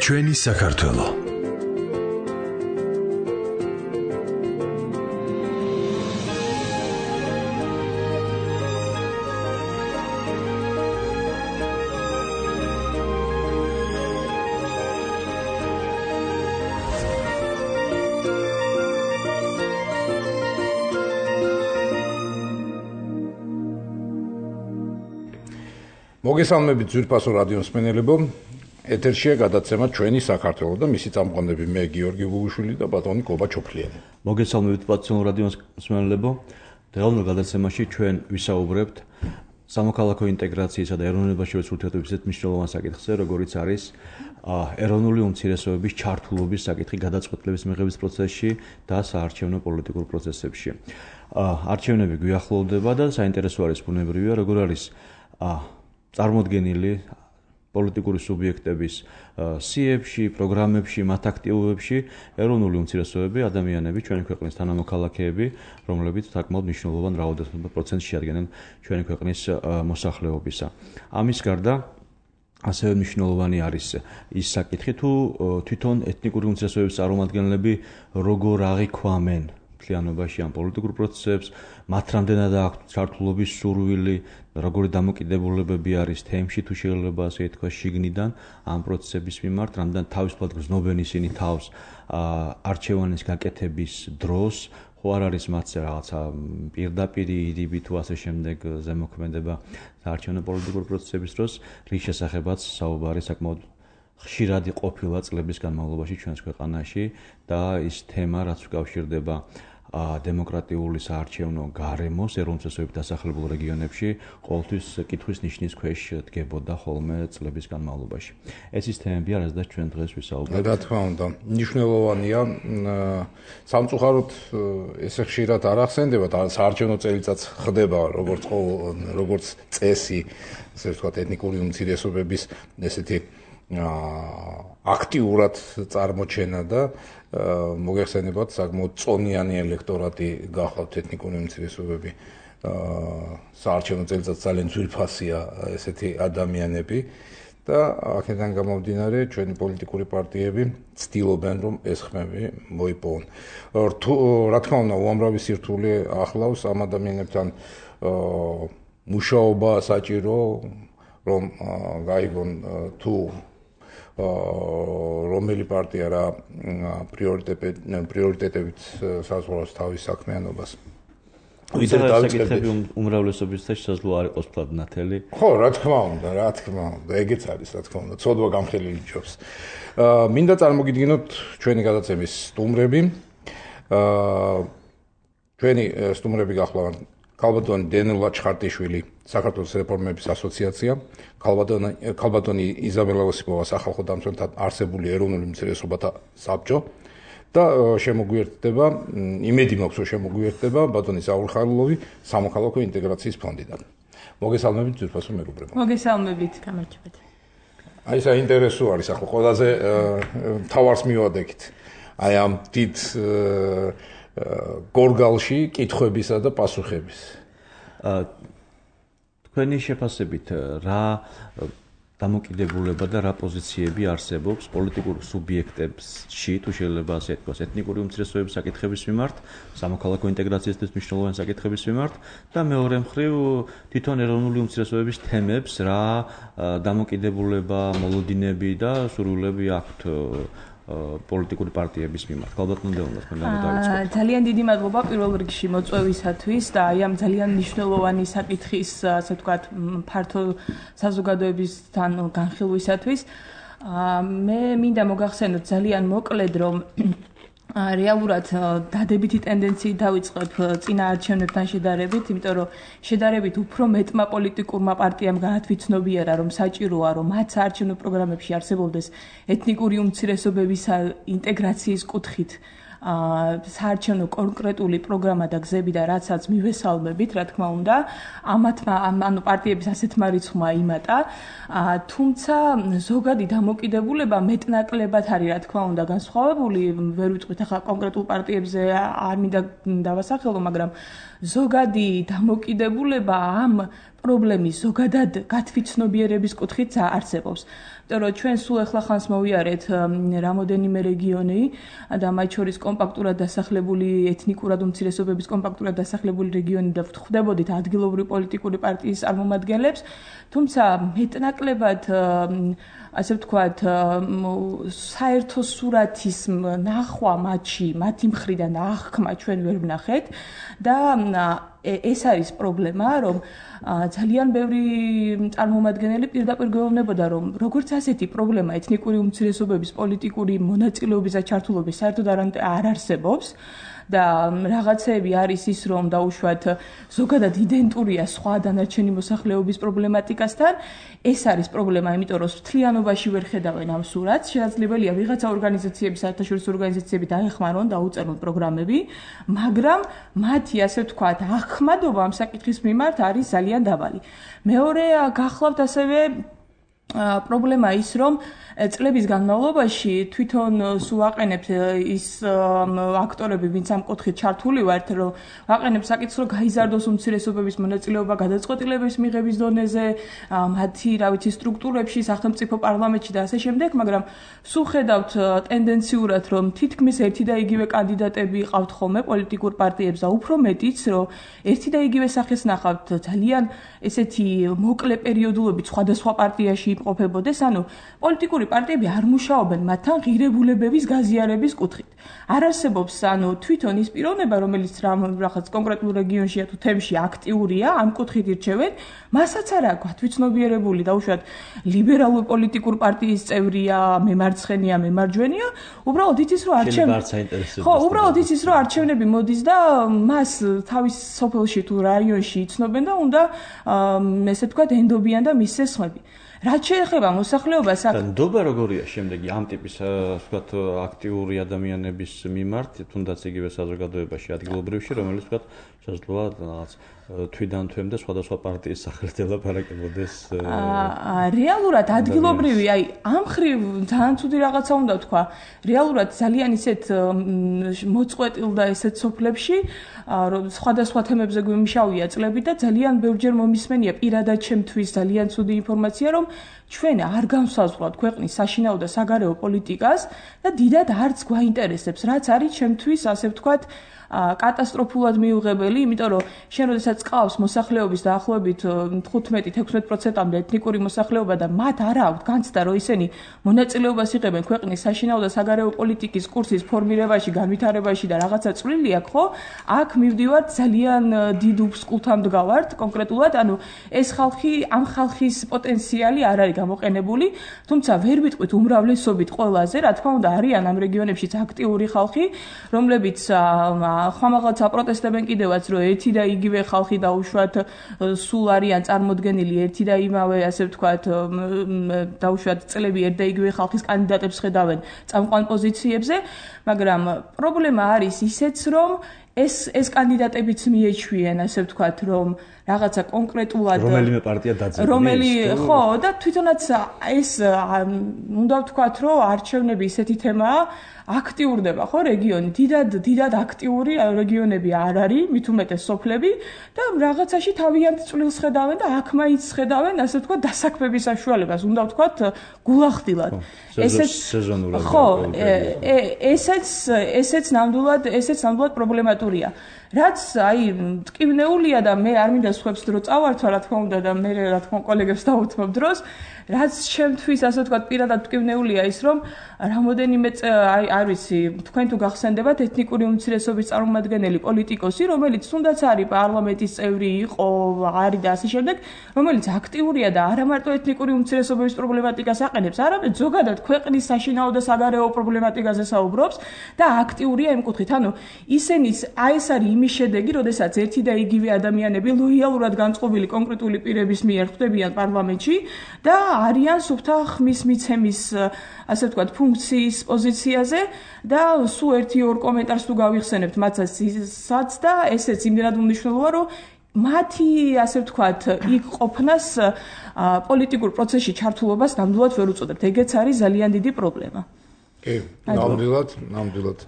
ჩვენი საქართველო. მოგესალმებით ძვირფასო რადიო მსმენელებო. ეთერშია გადაცემა ჩვენი საქართველო და მისი წამყვანები მე გიორგი ბუგუშვილი და ბატონი კობა ჩოფლიანი. მოგესალმებით პატრიოტულ რადიო მსმენელებო. დღევანდელ გადაცემაში ჩვენ ვისაუბრებთ სამოქალაქო ინტეგრაციისა და ეროვნულებაში ურთიერთობის ისეთ მნიშვნელოვან საკითხზე, როგორიც არის ეროვნული უმცირესობების ჩართულობის საკითხი გადაწყვეტილების მიღების პროცესში და საარჩევნო პოლიტიკურ პროცესებში. არჩევნები გვიახლოვდება და საინტერესო არის ბუნებრივია, როგორ არის წარმოდგენილი პოლიტიკური სუბიექტების სიებში, პროგრამებში, მათ აქტივობებში ეროვნული უმცირესობები, ადამიანები, ჩვენი ქვეყნის თანამოქალაქეები, რომლებიც საკმაოდ მნიშვნელოვან რაოდენობით შეადგენენ ჩვენი ქვეყნის მოსახლეობისა. ამის გარდა ასევე მნიშვნელოვანი არის ის საკითხი, თუ თვითონ ეთნიკური უმცირესობების წარმომადგენლები როგორ აღიქვამენ მთლიანობაში ამ პოლიტიკურ პროცესებს, მათ რამდენად აქვს ჩართულობის სურვილი, როგორი დამოკიდებულებები არის თემში, თუ შეიძლება ასე ითქვა, შიგნიდან ამ პროცესების მიმართ, რამდენად თავისუფლად გრძნობენ ისინი თავს არჩევანის გაკეთების დროს, ხო არ არის მათზე რაღაცა პირდაპირი იდიბი თუ ასე შემდეგ ზემოქმედება საარჩევნო პოლიტიკურ პროცესების დროს, რის შესახებაც საუბარი საკმაოდ ხშირად ყოფილა წლების განმავლობაში ჩვენს ქვეყანაში და ის თემა, რაც უკავშირდება დემოკრატიული საარჩევნო გარემოს ეროვნულ დასახლებულ რეგიონებში ყოველთვის კითხვის ნიშნის ქვეშ დგებოდა ხოლმე წლების განმავლობაში. ეს ის თემები არის და ჩვენ დღეს ვისაუბრებთ. რა თქმა უნდა, მნიშვნელოვანია. სამწუხაროდ ესე ხშირად არ ახსენდება და საარჩევნო წელიწადს ხდება როგორც წესი, ესე ვთქვათ, ეთნიკური უმცირესობების ესეთი აქტიურად წარმოჩენა და მოგეხსენებათ საკმაოდ წონიანი ელექტორატი გახლავთ ეთნიკური უმცირესობები. საარჩევნო წელიწადს ძალიან ძვირფასია ესეთი ადამიანები და აქედან გამომდინარე ჩვენი პოლიტიკური პარტიები ცდილობენ რომ ეს ხმები მოიპოვონ. რა თქმა უნდა, უამრავი სირთულე ახლავს ამ ადამიანებთან მუშაობა საჭირო რომ გაიგონ თუ რომელი პარტია რა პრიორიტეტებით საზღვრავს თავის საქმიანობას. საკითხები უმრავლესობისთვის შესაძლოა არ იყოს ფლად ნათელი. ხო, რა თქმა უნდა, ეგეც არის, რა თქმა უნდა, ცოდვა გამხელილი ჯობს. მინდა წარმოგიდგინოთ ჩვენი გადაცემის სტუმრები. ჩვენი სტუმრები გახლავთ ქალბატონი დენელა ჩხარტიშვილი, საქართველოს რეფორმების ასოციაცია, ქალბატონი იზაბელა ოსიპოვა, სახალხო დამცველთა არსებული ეროვნული უმცირესობათა საბჭო და შემოგვიერთდება, იმედი მაქვს, რომ შემოგვიერთდება ბატონი საულ ხარლოვი, სამოქალაქო ინტეგრაციის ფონდიდან. მოგესალმებით ძვირფასო მეგობრებო. მოგესალმებით, გამარჯობეთ. აი საინტერესო არის ახლა ყველაზე თავარს მივადექით. აი ამ დიდ გორგალში კითხვებისა და პასუხების. თქვენი შეფასებით რა დამოკიდებულება და რა პოზიციები არსებობს პოლიტიკურ სუბიექტებში, თუ შეიძლება ასე ითქვას, ეთნიკური უმცირესობების საკითხების მიმართ, სამოქალაქო ინტეგრაციისთვის მნიშვნელოვანი საკითხების მიმართ და მეორე მხრივ თვითონ ეროვნული უმცირესობების თემებს რა დამოკიდებულება, მოლოდინები და სურვილები აქვთ პოლიტიკური პარტიების მიმართ. ქალბატონ დეუნას მენდა დავიწყოთ. ძალიან დიდი მადლობა პირველ რიგში მოწვევისათვის და აი ამ ძალიან მნიშვნელოვანი საკითხის, ასე ვთქვათ, ფართო საზოგადოებისთან განხილვისათვის. მე მინდა მოგახსენოთ ძალიან მოკლედ, რომ რეალურად დადებითი ტენდენციით დავიწყებ წინა არჩევნებთან შედარებით, იმიტომ რომ შედარებით უფრო მეტმა პოლიტიკურმა პარტიამ გაათვითცნობიერა, რომ საჭიროა, რომ მათ საარჩევნო პროგრამებში არსებობდეს ეთნიკური უმცირესობების ინტეგრაციის კუთხით საარჩევნო კონკრეტული პროგრამა და გზები და რაცაც მივესალმებით, რა თქმა უნდა, ანუ პარტიების ასეთმა რიცხვმა იმატა, თუმცა ზოგადი დამოკიდებულება მეტნაკლებად არის, რა თქმა უნდა, განსხვავებული, ვერ ვიტყვით ახლა კონკრეტულ პარტიებზე არ მინდა დავასახელო, მაგრამ ზოგადი დამოკიდებულება ამ პრობლემის ზოგადად გათვითცნობიერების კუთხით არსებობს. იმიტომ რომ ჩვენ სულ ახლა ხანს მოვიარეთ რამოდენიმე რეგიონი და მათ შორის კომპაქტურად დასახლებული ეთნიკურად უმცირესობების კომპაქტურად დასახლებული რეგიონი და ვხვდებოდით ადგილობრივი პოლიტიკური პარტიის წარმომადგენლებს, თუმცა მეტნაკლებად ასე ვთქვათ, საერთო სურათის ნახვა მათში, მათი მხრიდან აღქმა ჩვენ ვერ ვნახეთ და ეს არის პრობლემა, რომ ძალიან ბევრი წარმომადგენელი პირდაპირ გვეუბნებოდა, რომ როგორც ასეთი პრობლემა ეთნიკური უმცირესობების პოლიტიკური მონაწილეობის და ჩართულობის საერთოდ არ არსებობს და რაღაცეები არის ის, რომ დაუშვათ ზოგადად იდენტურია სხვა დანარჩენი მოსახლეობის პრობლემატიკასთან. ეს არის პრობლემა, იმიტომ რომ მთლიანობაში ვერ ხედავენ ამ სურათს. შესაძლებელია ვიღაცა ორგანიზაციები, საერთაშორისო ორგანიზაციები დაეხმარონ, დაუწერონ პროგრამები, მაგრამ მათი ასე ვთქვათ, ახმადობა ამ საკითხის მიმართ არის ძალიან დაბალი. მეორე გახლავთ ასევე პრობლემა ის, რომ წლების განმავლობაში თვითონ ვაყენებთ ის აქტორები, ვინც ამ კუთხით ჩართული ვართ, რომ ვაყენებთ საკითხს, რომ გაიზარდოს უმცირესობების მონაწილეობა გადაწყვეტილების მიღების დონეზე, მათი, სტრუქტურებში, სახელმწიფო პარლამენტში და ასე შემდეგ, მაგრამ სულ ხედავთ ტენდენციურად, რომ თითქმის ერთი და იგივე კანდიდატები ყავთ ხოლმე პოლიტიკურ პარტიებს და უფრო მეტიც, რომ ერთი და იგივე სახეს ნახავთ ძალიან ესეთი მოკლე პერიოდულობით სხვადასხვა პარტიაში იმყოფებოდეს, ანუ პოლიტიკური პარტიები არ მუშაობენ მათთან ღირებულებების გაზიარების კუთხით. არ არსებობს თვითონ ის პიროვნება, რომელიც რაღაც კონკრეტულ რეგიონში თუ თემში აქტიურია, ამ კუთხით ირჩევენ, მასაც არა გათვითცნობიერებული, დაუშვათ ლიბერალურ პოლიტიკურ პარტიის წევრია, მემარცხენია, მემარჯვენია, უბრალოდ იცის, რომ უბრალოდ იცის, რომ არჩევნები მოდის და მას თავის სოფელში თუ რაიონში იცნობენ და უნდა ესე ვთქვათ ენდობიან და მის სესხმები. რაც შეეხება მოსახლეობას, ნდობა როგორია შემდეგი ამ ტიპის ვთქვათ აქტიური ადამიანების მიმართ, თუნდაც იგივე საზოგადოებაში ადგილობრივში, რომელიც ვთქვათ შესაძლოა რაღაც თვიდან თვემდე სხვადასხვა პარტიის სახელით ელაპარაკებოდეს. რეალურად ადგილობრივი, ამ ხრივ ძალიან ცუდი რაღაცა უნდა ვთქვა. რეალურად ძალიან ისეთ მოწყვეტილ და ესეთ სოფლებში, სხვადასხვა თემებზე გვიმშავია წლები და ძალიან ბევრჯერ მომისმენია პირადად ჩემთვის ძალიან ცუდი ინფორმაცია, რომ ჩვენ არ განსაზღვრავთ ქვეყნის საშინაო და საგარეო პოლიტიკას და დიდად არც გვაინტერესებს, რაც არის ჩემთვის, ასე ვთქვათ, კატასტროფულად მიუღებელი, იმიტომ რომ შენ როდესაც ყავს მოსახლეობის დაახლოებით 15-16%-მდე ეთნიკური მოსახლეობა და მათ არ აქვთ განცდა, რომ ისინი მონაწილეობას იღებენ ქვეყნის საშინაო და საგარეო პოლიტიკის კურსის ფორმირებაში, განვითარებაში და რაღაცა წვლილი აქვს, ხო? აქ მივდივართ ძალიან დიდ უსკულთან მდგავართ კონკრეტულად, ანუ ეს ხალხი, ამ ხალხის პოტენციალი არ არის გამოყენებული, თუმცა ვერ ვიტყვით უმრავლესობით ყველაზე, რა თქმა უნდა, არიან ამ რეგიონებშიც აქტიური ხალხი, რომლებიც ხმამაღლაც აპროტესტებენ კიდევაც, რომ ერთი და იგივე ხალხი დაუშვათ სულ არიან წარმოდგენილი ერთი და იმავე, ასე ვთქვათ, დაუშვათ წლები ერთ და იგივე ხალხის კანდიდატებს ხედავენ წამყვან პოზიციებზე, მაგრამ პრობლემა არის ისეც, რომ ეს კანდიდატებიც მიეჩვიენ, ასე ვთქვათ, რომ რაღაცა კონკრეტულად რომელიმე პარტია დაძაბული ხო და თვითონაც ეს უნდა ვთქვათ, რომ არჩევნები ისეთი თემაა, აქტიურდება ხო რეგიონი, დიდად აქტიური რეგიონები არ არის, მით უმეტეს სოფლები და რაღაცაში თავიანთ წვლილს ხედავენ და აქ მაინც ხედავენ, ასე ვთქვათ, დასაქმების საშუალებას, უნდა ვთქვათ, გულახდილად. სეზონურად. ხო, ესეც ნამდვილად პრობლემატურია. რაც ტკივნეულია და მე არ მინდა სხვებს დრო წავართვა, რა თქმა უნდა და მე რა თქმა კოლეგებს დავუთმობ დროს, რაც შემთთვის, ასე ვთქვათ, პირადად ტკივნეულია ის, რომ რამოდენიმე არ ვიცი, თქვენ თუ გახსენდებათ ეთნიკური უმცირესობის წარმომადგენელი პოლიტიკოსი, რომელიც თუნდაც არის პარლამენტის წევრი, იყო, არის და ასე შემდეგ, რომელიც აქტიურია და არა მარტო ეთნიკური უმცირესობების პრობლემატიკას აყენებს, არამედ ზოგადად ქვეყნის საშინაო და საგარეო პრობლემატიკაზე საუბრობს და აქტიურია იმ კუთხით. ანუ ისინიც ეს არის იმის შედეგი, როდესაც ერთი და იგივე ადამიანები ლოიალურად განწყობილი კონკრეტული პირების მიერ ხვდებიან პარლამენტში და არიან სუფთა ხმის მიცემის, ასე ვთქვათ, ფუნქციის პოზიციაზე და სულ ერთი-ორ კომენტარს თუ გავიხსენებთ მათაც და ესეც იმდენად უმნიშვნელოა, რომ მათი, ასე ვთქვათ, იქ ყოფნას პოლიტიკურ პროცესში ჩართულობას ნამდვილად ვერ უწოდებთ. ეგეც არის ძალიან დიდი პრობლემა. კი, ნამდვილად.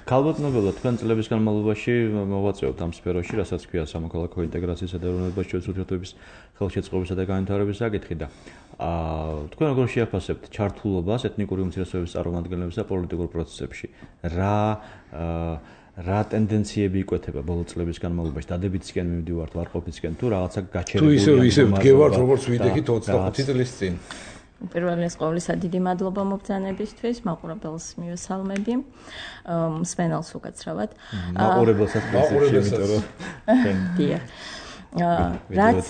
ქალბატონებელო, თქვენ წლების განმავლობაში მოვაწეობთ ამ სფეროში, რასაც ქვია სამოქალაქო ინტეგრაციისა და ეროვნებაში შორის ურთიერთობების ხელშეწყობისა და განვითარების საკითხი და თქვენ როგორ შეაფასებთ ჩართულობას ეთნიკური უმცირესობების წარმომადგენლების და პოლიტიკურ პროცესებში? რა ტენდენციები იკვეთება ბოლო წლების განმავლობაში? დადებითისკენ მივდივართ, ვარყოფითისკენ თუ რაღაცა გაჩერებული? თუ ისე ვდგევართ, როგორც ვიდექით 25 წლის წინ. პირველეს ყოვლისა დიდი მადლობა მობრძანებისთვის, მაყურებელს მივესალმები. მსმენელს უკაცრავად. მაყურებელსაც რაც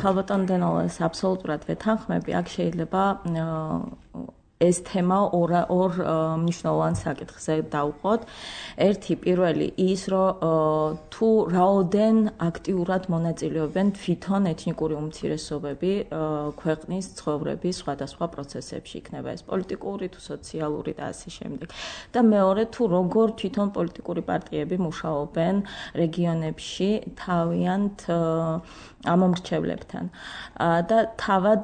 ქალბატონ დენოლას აბსოლუტურად ვეთანხმები, აქ შეიძლება ეს თემა ორ მნიშვნელოვან საკითხზე დავუყოთ. ერთი პირველი ის, რომ თუ რაოდენ აქტიურად მონაწილეობენ თვითონ ეთნიკური უმცირესობები ქვეყნის ცხოვრების სხვადასხვა პროცესებში, იქნება ეს პოლიტიკური თუ სოციალური და ასე შემდეგ. და მეორე, თუ როგორ თვითონ პოლიტიკური პარტიები მუშაობენ რეგიონებში თავიანთ ამომრჩევლებთან. და თავად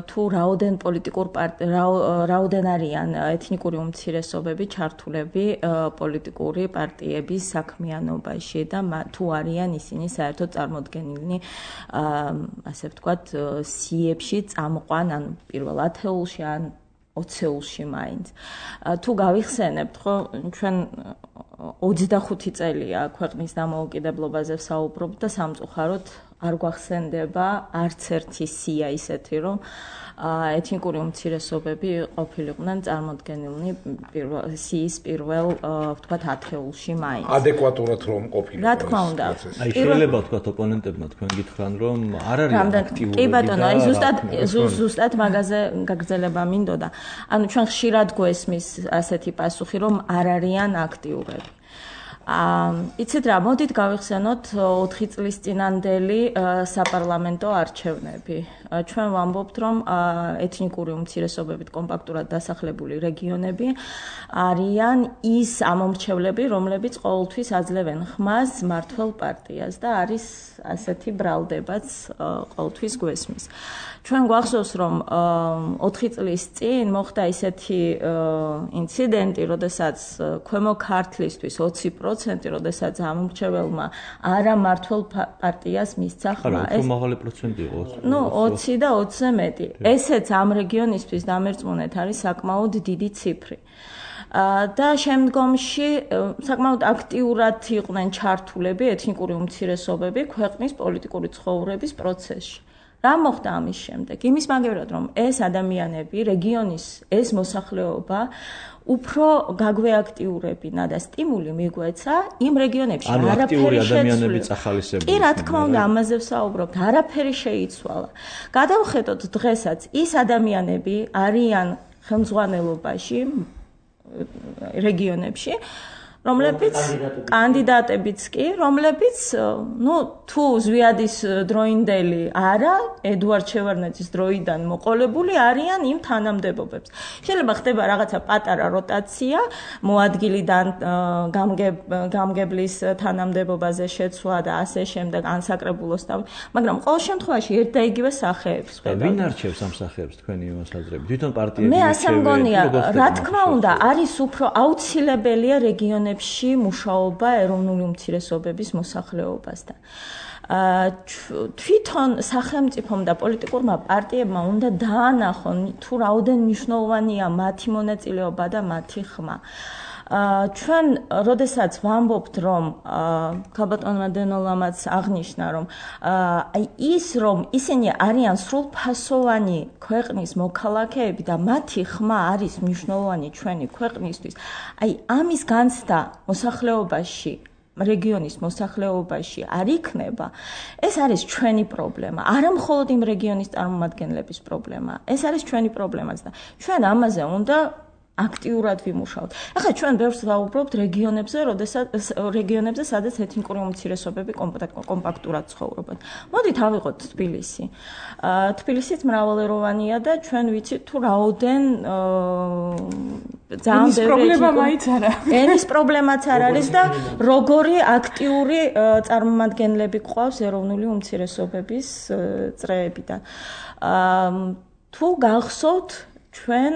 თუ რაოდენ არიან ეთნიკური უმცირესობები ჩართულები პოლიტიკური პარტიების საქმიანობაში და თუ არიან ისინი საერთოდ წარმოდგენილნი ასე ვთქვათ სიებში წამყვან ან პირველ ათეულში ან 20-ულში მაინც. თუ გავიხსენებთ, ხო, ჩვენ 25 წელია ქვეყნის დამოუკიდებლობაზე ვსაუბრობთ და სამწუხაროდ არ გვახსენდება არც ერთი სია ისეთი, რომ ეთნიკური უმცირესობები ყოფილიყვნენ წარმოდგენილნი სიის პირველ ვთქვათ ათეულში მაინც. ადეკვატურად რომ ყოფილიყო. რა თქმა უნდა. აი შეიძლება ვთქვათ ოპონენტებმა თქვენ გითხრან რომ არ არის აქტიური. კი ბატონო, აი ზუსტად მაგაზე გაგრძელება მინდოდა. ანუ ჩვენ ხშირად გვესმის ასეთი პასუხი, რომ არ არიან აქტიურები. იცით რა, მოდით გავიხსენოთ 4 წლის წინანდელი საპარლამენტო არჩევნები. ჩვენ ვამბობთ, რომ ეთნიკური უმცირესობებით კომპაქტურად დასახლებული რეგიონები არიან ის ამომრჩევლები, რომლებიც ყოველთვის აძლევენ ხმას მმართველ პარტიას და არის ასეთი ბრალდებაც ყოველთვის გვესმის. ჩვენ გვახსოვს, რომ 4 წლის წინ მოხდა ისეთი ინციდენტი, როდესაც ქვემო ქართლისთვის 20%, როდესაც ამომრჩეველმა არა მმართველ პარტიას მისცა ხმა. ეს მაღალი პროცენტი იყო. ნუ 20 და 20-ზე მეტი. ესეც ამ რეგიონისთვის დამერწმუნეთ არის საკმაოდ დიდი ციფრი. და შემდგომში საკმაოდ აქტიურად იყვნენ ჩართულები ეთნიკური უმცირესობები ქვეყნის პოლიტიკური ცხოვრების პროცესში. რა მოხდა ამის შემდეგ? იმის მაგევრად, რომ ეს ადამიანები, რეგიონის ეს მოსახლეობა უფრო გაგვეაქტიურებინა და სტიმული მიგვეცა იმ რეგიონებში არაფერი ადამიანები წახალისებული. კი, რა თქმა უნდა, ამაზე ვსაუბრობთ, არაფერი შეიცვალა. გადავხედოთ დღესაც ის ადამიანები არიან ხელმძღვანელობაში რეგიონებში, რომლებიც კანდიდატებიც კი, რომლებიც თუ ზვიადის დროინდელი არა, ედუარდ შევარდნაძის დროიდან მოყოლებული არიან იმ თანამდებობებს. შეიძლება ხდება რაღაცა პატარა როტაცია, მოადგილიდან გამგებლის თანამდებობაზე შეცვლა და ასე შემდეგ, ანსაკრებულოს და მაგრამ ყოველ შემთხვევაში ერთ და იგივე სახეებს ხედავთ. ვინ არჩევს ამ სახეებს თქვენი მოსაზრებით? თვითონ პარტიები მე ასე მგონია, რა თქმა უნდა, არის უფრო აუცილებელია რეგიონებში მუშაობა ეროვნული უმცირესობების მოსახლეობასთან. თვითონ სახელმწიფომ და პოლიტიკურმა პარტიებმა უნდა დაანახონ თუ რაოდენ მნიშვნელოვანია მათი მონაწილეობა და მათი ხმა. ჩვენ როდესაც ვამბობთ, რომ ქალბატონმა დენოლამაც აღნიშნა, რომ ის რომ ისინი არიან სრულფასოვანი ქვეყნის მოქალაქეები და მათი ხმა არის მნიშვნელოვანი ჩვენი ქვეყნისთვის, აი ამის განცდა მოსახლეობაში რეგიონის მოსახლეობაში არ იქნება, ეს არის ჩვენი პრობლემა, არა მხოლოდ იმ რეგიონის წარმომადგენლების პრობლემა, ეს არის ჩვენი პრობლემაც და ჩვენ ამაზე უნდა აქტიურად ვიმუშაოთ. ახლა ჩვენ ბევრს ვაუბრობთ რეგიონებზე, სადაც ეთნიკური უმცირესობები კომპაქტურად ცხოვრობენ. მოდით ავიღოთ თბილისი. თბილისიც მრავალეროვანია და ჩვენ ვიცით თუ რაოდენ ძალიან პრობლემა მაინც არა. ენის პრობლემაც არ არის და როგორი აქტიური წარმომადგენლები გვყავს ეროვნული უმცირესობების წრეებიდან. თუ გახსოვთ ჩვენ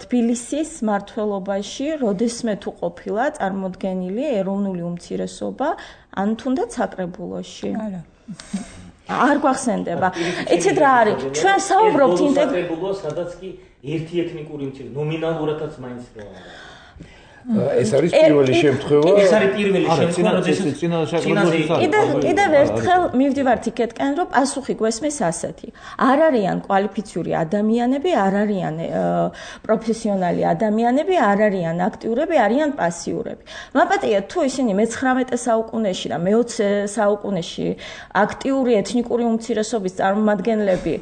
თბილისის მმართველობაში როდესმე თუ ყოფილა წარმოდგენილი ეროვნული უმცირესობა ან თუნდაც საკრებულოში. არა. არ გვახსენდება. იცით რა არის? ჩვენ საუბრობთ საკრებულო, სადაც კი ერთი ეთნიკური უმცირესობა ნომინალურადაც მაინც რა არის. ეს არის პირველი შემთხვევა. ეს არის პირველი შემთხვევა, როდესაც კიდევ ერთხელ მივდივართ იქეთკენ, რომ პასუხი გვესმის ასეთი. არ არიან კვალიფიციური ადამიანები, არ არიან პროფესიონალი ადამიანები, არ არიან აქტიურები, არიან პასიურები. მაპატია თუ ისინი მე-19 საუკუნეში და მე-20 საუკუნეში აქტიური ეთნიკური უმცირესობის წარმომადგენლები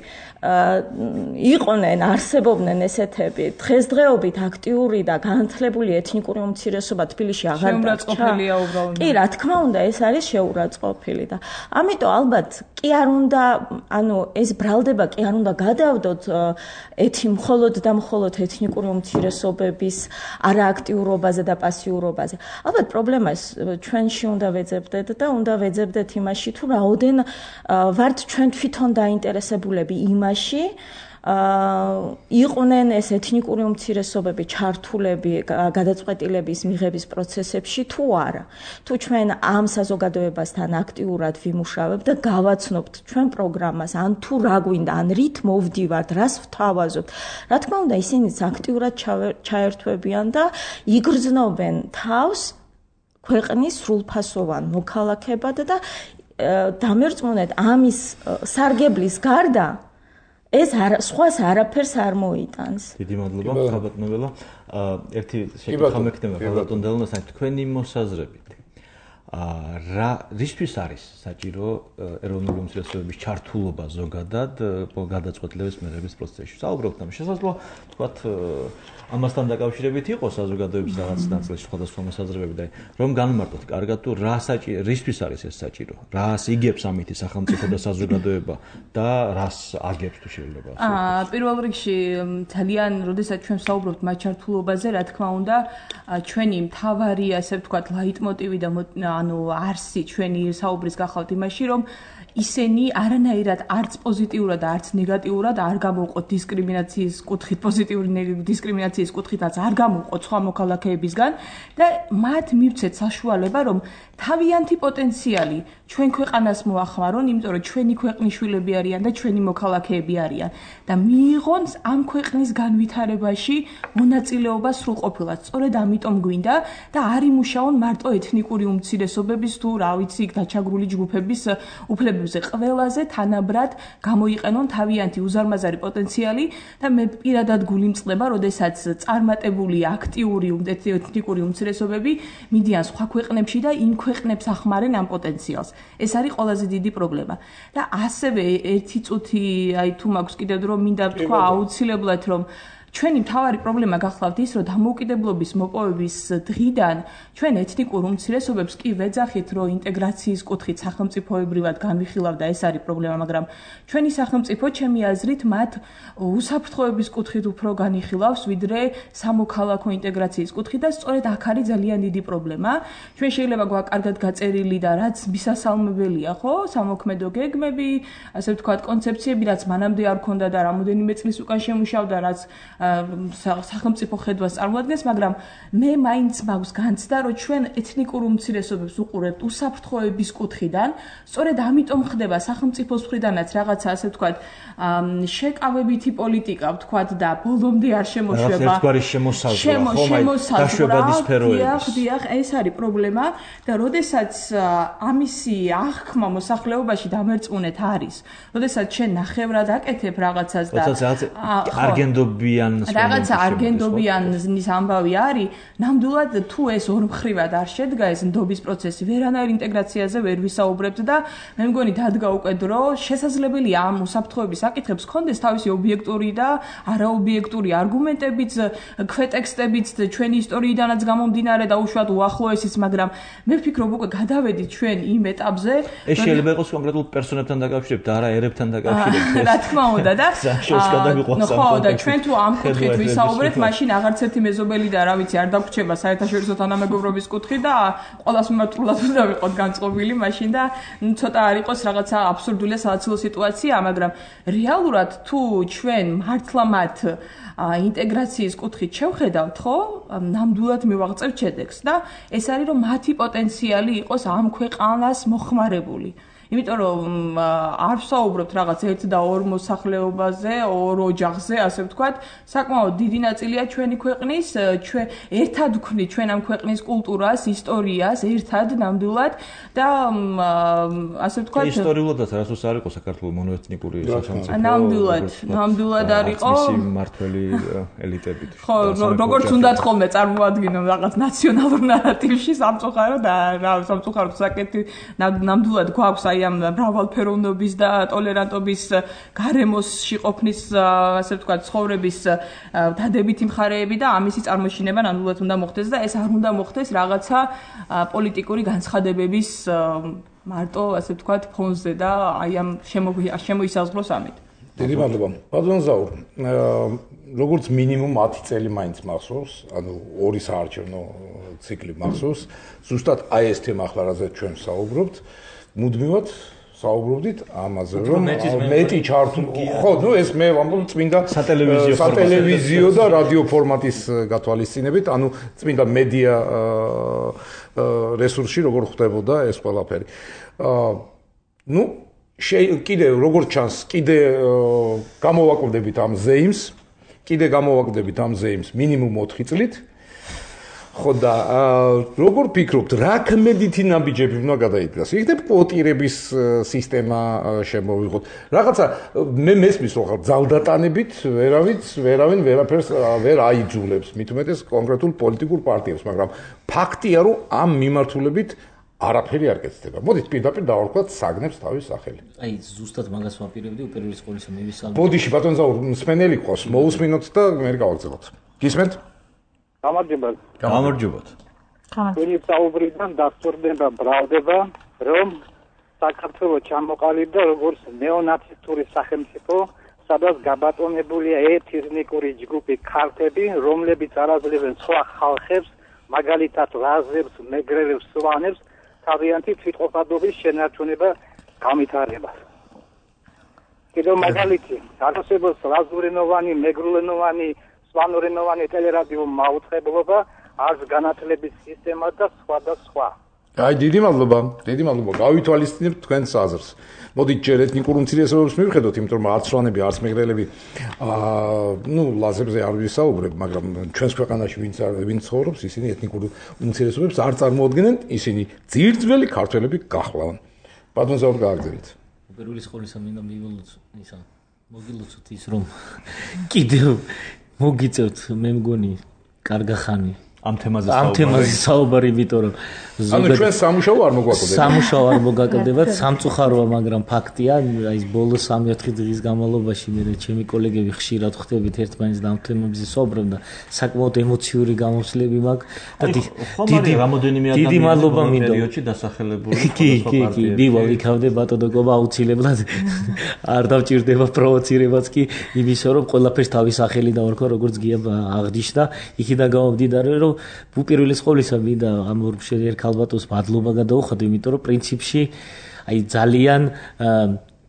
იყვნენ, არსებობდნენ ესეთები, დღესდღეობით აქტიური და განათლებული ეთნიკური უმცირესობა თბილისში აღარ დარჩა. კი, რა თქმა უნდა, ეს არის შეურაცხყოფილი და ამიტომ ალბათ კი არ უნდა, ეს ბრალდება კი არ უნდა გადავდოთ მხოლოდ და მხოლოდ ეთნიკური უმცირესობების არააქტიურობაზე და პასიურობაზე. ალბათ პრობლემას ჩვენში უნდა ვეძებდეთ და უნდა ვეძებდეთ იმაში, თუ რაოდენ ვართ ჩვენ თვითონ დაინტერესებულები იმაში, იყვნენ ეს ეთნიკური უმცირესობები ჩართულები გადაწყვეტილების მიღების პროცესებში თუ არა. თუ ჩვენ ამ საზოგადოებასთან აქტიურად ვიმუშავებთ და გავაცნობთ ჩვენ პროგრამას, ან თუ რა გვინდა, ან რით მოვდივართ, რას ვთავაზობთ, რა თქმა უნდა, ისინიც აქტიურად ჩაერთვებიან და იგრძნობენ თავს ქვეყნის სრულფასოვან მოქალაქებად და დამერწმუნეთ ამის სარგებლის გარდა ეს სხვას არაფერს არ მოიტანს. დიდი მადლობა, ხალბატონებელა. ერთი შეკითხვა მექნება ხალბატონელასთან, თქვენი მოსაზრებით. რისთვის არის საჭირო ეროვნული უმცირესობების ჩართულობა ზოგადად გადაწყვეტილების მიღების პროცესში? საუბრობთ ამ შესაძლოა, თქვათ, ამასთან დაკავშირებით იყოს საზოგადოების რაღაც ნაწილში სხვადასხვა მოსაზრებები და რომ განმარტოთ კარგად თუ რისთვის არის ეს საჭირო? რას იგებს ამითი სახელმწიფო და საზოგადოება და რას აგებს თუ შეიძლება? პირველ რიგში ძალიან, როდესაც ჩვენ საუბრობთ მათ ჩართულობაზე, რა თქმა უნდა, ჩვენი მთავარი, ასე ვთქვათ, ლაიტმოტივი და არსი ჩვენი საუბრის გახავთ იმაში, რომ ისინი არანაირად არც პოზიტიურად და არც ნეგატიურად არ გამოვყოთ დისკრიმინაციის კუთხით, პოზიტიური დისკრიმინაციის კუთხითაც არ გამოვყოთ სხვა მოქალაქეებისგან და მათ მივცეთ საშუალება, რომ თავიანთი პოტენციალი ჩვენ ქვეყანას მოახმარონ, იმიტომ რომ ჩვენი ქვეყნის შვილები არიან და ჩვენი მოქალაქეები არიან და მიიღონ ამ ქვეყნის განვითარებაში მონაწილეობა სრულყოფილად. სწორედ ამიტომ გვინდა და არ იმუშაონ მარტო ეთნიკური უმცირესობების თუ რა ვიცი დაჩაგრული ჯგუფების უფლებებზე, ყველაზე თანაბრად გამოიყენონ თავიანთი უზარმაზარი პოტენციალი და მე პირადად გულიმწყდება, როდესაც წარმატებული აქტიური ეთნიკური უმცირესობები მიდიან სხვა ქვეყნებში და იმ ქვეყნებს ახმარენ ამ პოტენციალს. ეს არის ყველაზე დიდი პრობლემა. და ასევე ერთი წუთი, თუ მაქვს კიდევ დრო, მინდა ვთქვა აუცილებლად, რომ ჩვენი მთავარი პრობლემა გახლავთ ის, რომ დამოუკიდებლობის მოპოვების დღიდან ჩვენ ეთნიკურ უმცირესობებს კი ვეძახით, რომ ინტეგრაციის კუთხით სახელმწიფოებრივად განვიხილავ და ეს არის პრობლემა, მაგრამ ჩვენი სახელმწიფო, ჩემი აზრით, მათ უსაფრთხოების კუთხით უფრო განიხილავს, ვიდრე სამოქალაქო ინტეგრაციის კუთხით და სწორედ აქ არის ძალიან დიდი პრობლემა. ჩვენ შეიძლება გვაქვს კარგად გაწერილი და რაც მისასალმებელია, ხო, სამოქმედო გეგმები, ასე ვთქვათ, კონცეფციები, რაც მანამდე არ ქონდა და რამოდენიმე წლის უკან შემუშავდა, რაც სახელმწიფო ხედვას წარმოადგენს, მაგრამ მე მაინც მაქვს განცდა, რომ ჩვენ ეთნიკურ უმცირესობებს უყურებთ უსაფრთხოების კუთხიდან, სწორედ ამიტომ ხდება სახელმწიფოს მხრიდანაც რაღაცა, ასე ვთქვათ, შეკავებითი პოლიტიკა, ვთქვათ და ბოლომდე არ შემოშვება. ერთგვარი შემოსაზღვრა სფეროების. დიახ, ეს არის პრობლემა და როდესაც ამისი აღქმა მოსახლეობაში დამერწმუნეთ არის, როდესაც ჩვენ ნახევრად აკეთებ რაღაცას და რაღაცა არგენდობიანის ამბავი არის, ნამდვილად თუ ეს ორმხრივად არ შედგა ეს ნდობის პროცესი, ვერანაირ ინტეგრაციაზე ვერ ვისაუბრებთ და მე მგონი დადგა უკვე დრო, შესაძლებელია ამ უსაფრთხოების საკითხებს კონდეს თავისი ობიექტური და არაობიექტური არგუმენტებიც, ქვეტექსტებიც, ჩვენი ისტორიიდანაც გამომდინარე და უშუალოდ უახლოესიც, მაგრამ მე ვფიქრობ უკვე გადავედით ჩვენ იმ ეტაპზე. ეს შეიძლება იყოს კონკრეტულ პერსონებთან დაკავშირებით და არა ერებთან დაკავშირებით. რა თქმა უნდა და ხო და ჩვენ თუ ამ კუთხით ვისაუბრეთ, მაშინ აღარც ერთი მეზობელი და რა ვიცი, არ დაგვრჩება საერთაშორისო თანამეგობრობის კუთხით და ყველას მიმართულად უნდა ვიყოთ განწყობილი მაშინ და ცოტა არ იყოს რაღაცა აბსურდული და სალოცავი სიტუაცია, მაგრამ რეალურად თუ ჩვენ მართლა მათ ინტეგრაციის კუთხით შევხედავთ, ხო? ნამდვილად მივაღწევთ შედეგს და ეს არის რომ მათი პოტენციალი იყოს ამ ქვეყანას მოხმარებული. იმიტომ რომ არ ვსაუბრობთ რაღაც ერთ და ორ მოსახლეობაზე, ორ ოჯახზე, ასე ვთქვათ, საკმაოდ დიდი ნაწილია ჩვენი ქვეყნის, ჩვენ ერთად ვქნით ჩვენ ამ ქვეყნის კულტურას, ისტორიას, ერთად ნამდვილად და ასე ვთქვათ, ისტორიულადაც არასდროს არ იყო საქართველოს მონოეთნიკური სახელმწიფო. ნამდვილად არ იყო. მისი მმართველი ელიტებით. ხო, როგორც უნდათ ხოლმე წარმოადგინონ რაღაც ნაციონალურ ნარატივში სამწუხაროდ და რა სამწუხაროდ საკეთი ნამდვილად გვაქვს აი ამ მრავალფეროვნობის და ტოლერანტობის გარემოსში ყოფნის ასე ვთქვათ ცხოვრების დადებითი მხარეები და ამისი წარმოშინება ნამდვილად უნდა მოხდეს და ეს არ უნდა მოხდეს რაღაცა პოლიტიკური განცხადებების მარტო ასე ვთქვათ ფონზე და აი ამ შემოისაზღვროს ამით. დიდი მადლობა. ბატონ ზაურ, როგორც მინიმუმ 10 წელი მაინც მახსოვს, ანუ ორი საარჩევნო ციკლი მახსოვს. ზუსტად აი ეს თემა ახლა რაზეც ჩვენ საუბრობთ. მუდმივად საუბრობდით ამაზე რომ მეტი ჩართული ხო ნუ ეს მე ვამბობ წმინდა სატელევიზიო და რადიო ფორმატის გათვალისწინებით ანუ წმინდა მედია რესურსში როგორ ხდებოდა ეს ყველაფერი ნუ კიდე როგორც ჩანს კიდე გამოვაკლდებით ამ ზეიმს მინიმუმ 4 წლით ხო და როგორ ფიქრობთ, რა ქმედითი ნაბიჯები უნდა გადაიდგას? იქნებ კვოტირების სისტემა შემოვიღოთ. რაღაცა მე მესმის რომ ძალდატანებით ვერავინ ვერაფერს ვერ აიძულებს, მით უმეტეს კონკრეტულ პოლიტიკურ პარტიებს, მაგრამ ფაქტია რომ ამ მიმართულებით არაფერი არ კეთდება. მოდით პირდაპირ დავარქვათ საგნებს თავის სახელი. აი ზუსტად მაგას ვაპირებდი უპირველეს ყოვლისა მე ვისალმე. ბოდიში ბატონ ზაურ მსმენელი ყავს, მოусმინოთ და მე გავაგზავნოთ. გისმენთ? გამარჯობათ. თქვენი საუბრიდან დასწორდება ბრალდება, რომ საქართველოს ჩამოყალიბდა როგორც ნეონაცისტური სახელმწიფო, სადაც გაბატონებულია ეთნიკური ჯგუფი ქართები, რომლებიც არაძლევენ სხვა ხალხებს, მაგალითად ლაზებს, მეგრელებს, სვანებს, თავიანთი თვითყოფადობის შენარჩუნება გამითარება. კიდევ მაგალითი, არსებობს ლაზურენოვანი, მეგრულენოვანი სვანურენოვანი ტელერადიო მაუწყებლობა, არც განათლების სისტემა და სხვა და სხვა. აი დიდი მადლობა. გავითვალისწინებთ თქვენს აზრს. მოდით ჯერ ეთნიკურ უმცირესობებს მივხედოთ, იმიტომ რომ არც სვანები, არც მეგრელები ნუ ლაზებზე არ ვისაუბრებ, მაგრამ ჩვენს ქვეყანაში ვინც ცხოვრობს, ისინი ეთნიკურ უმცირესობებს არ წარმოადგენენ, ისინი ძირძველი ქართველები გახლავენ. ბატონ ზაურ გააგრძელეთ. უპირველეს ყოვლისა მინდა მოგილოცოთ ის რომ კიდევ მოგიწევთ მე მგონი კარგა ხანი ამ თემაზე საუბარი იმიტომ რომ ანუ ჩვენ სამუშაო არ მოგვაკლდება სამუშაო არ მოგაკლდებათ სამწუხაროა მაგრამ ფაქტია აი ბოლო 3-4 დღის განმავლობაში მე ჩემი კოლეგები ხშირად ხვდებით ერთმანეთს და ამ თემებზე საუბრობ და საკმაოდ ემოციური გამოსვლები მაქვს და დიდი მადლობა მინდა პერიოდში დასახელებული კი მივალ იქავდე ბატონო გობა აუცილებლად არ დავჭირდება პროვოცირებაც კი იმისო რომ ყველაფერს თავის სახელი დავარქვა როგორც გია აღნიშნა იქიდან გამომდიდარე რომ უპირველეს ყოვლისა მინდა ამ ორ ქალბატონს მადლობა გადაუხადე, იმიტომ რომ პრინციპში აი ძალიან